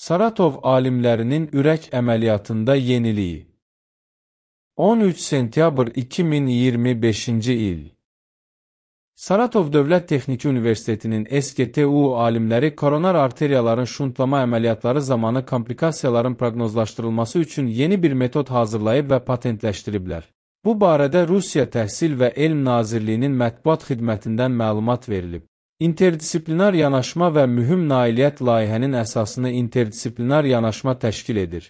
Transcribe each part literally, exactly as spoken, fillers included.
Saratov alimlərinin ürək əməliyyatında yeniliyi. on üç sentyabr iki min iyirmi beşinci il. Saratov Dövlət Texniki Universitetinin S G T U alimləri koronar arteriyaların şuntlama əməliyyatları zamanı komplikasiyaların proqnozlaşdırılması üçün yeni bir metod hazırlayıb və patentləşdiriblər. Bu barədə Rusiya Təhsil və Elm Nazirliyinin mətbuat xidmətindən məlumat verilib. İnterdisiplinar yanaşma və mühüm nailiyyət layihənin əsasını interdisiplinar yanaşma təşkil edir.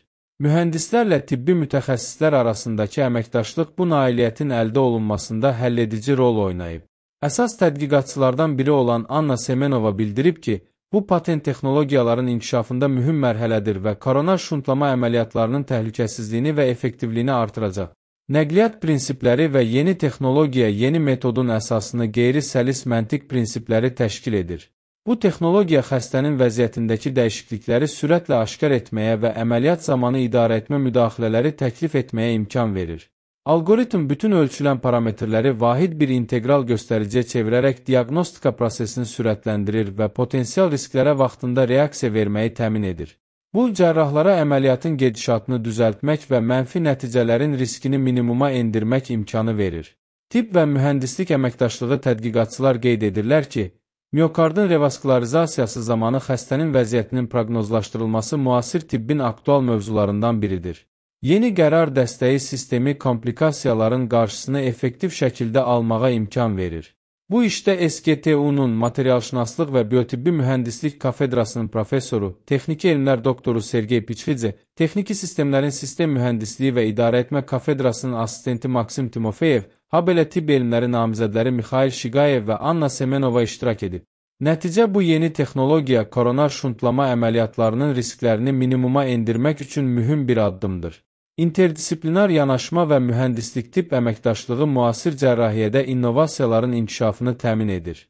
Mühəndislərlə tibbi mütəxəssislər arasındakı əməkdaşlıq bu nailiyyətin əldə olunmasında həlledici rol oynayıb. Əsas tədqiqatçılardan biri olan Anna Semenova bildirib ki, bu patent texnologiyaların inkişafında mühüm mərhələdir və koronar şuntlama əməliyyatlarının təhlükəsizliyini və effektivliyini artıracaq. Nəqliyyat prinsipləri və yeni texnologiya yeni metodun əsasını qeyri-səlis məntiq prinsipləri təşkil edir. Bu texnologiya xəstənin vəziyyətindəki dəyişiklikləri sürətlə aşkar etməyə və əməliyyat zamanı idarə etmə müdaxilələri təklif etməyə imkan verir. Algoritm bütün ölçülən parametrləri vahid bir integral göstəriciyə çevirərək diaqnostika prosesini sürətləndirir və potensial risklərə vaxtında reaksiya verməyi təmin edir. Bu, cərrahlara əməliyyatın gedişatını düzəltmək və mənfi nəticələrin riskini minimuma endirmək imkanı verir. Tibb və mühəndislik əməkdaşlığı tədqiqatçılar qeyd edirlər ki, miokardın revaskularizasiyası zamanı xəstənin vəziyyətinin proqnozlaşdırılması müasir tibbin aktual mövzularından biridir. Yeni qərar dəstəyi sistemi komplikasiyaların qarşısını effektiv şəkildə almağa imkan verir. Bu işdə S G T U-nun materialşünaslıq və biotibbi mühəndislik kafedrasının professoru, texniki elmlər doktoru Sergey Pichvidze, texniki sistemlərin sistem mühəndisliyi və idarə etmə kafedrasının assistenti Maksim Timofeyev, habelə tibb elmləri namizədləri Mikhail Shigayev və Anna Semenova iştirak edib. Nəticə bu yeni texnologiya koronar şuntlama əməliyyatlarının risklərini minimuma endirmək üçün mühüm bir addımdır. İnterdisiplinar yanaşma və mühəndislik tibb əməkdaşlığı müasir cərrahiyyədə innovasiyaların inkişafını təmin edir.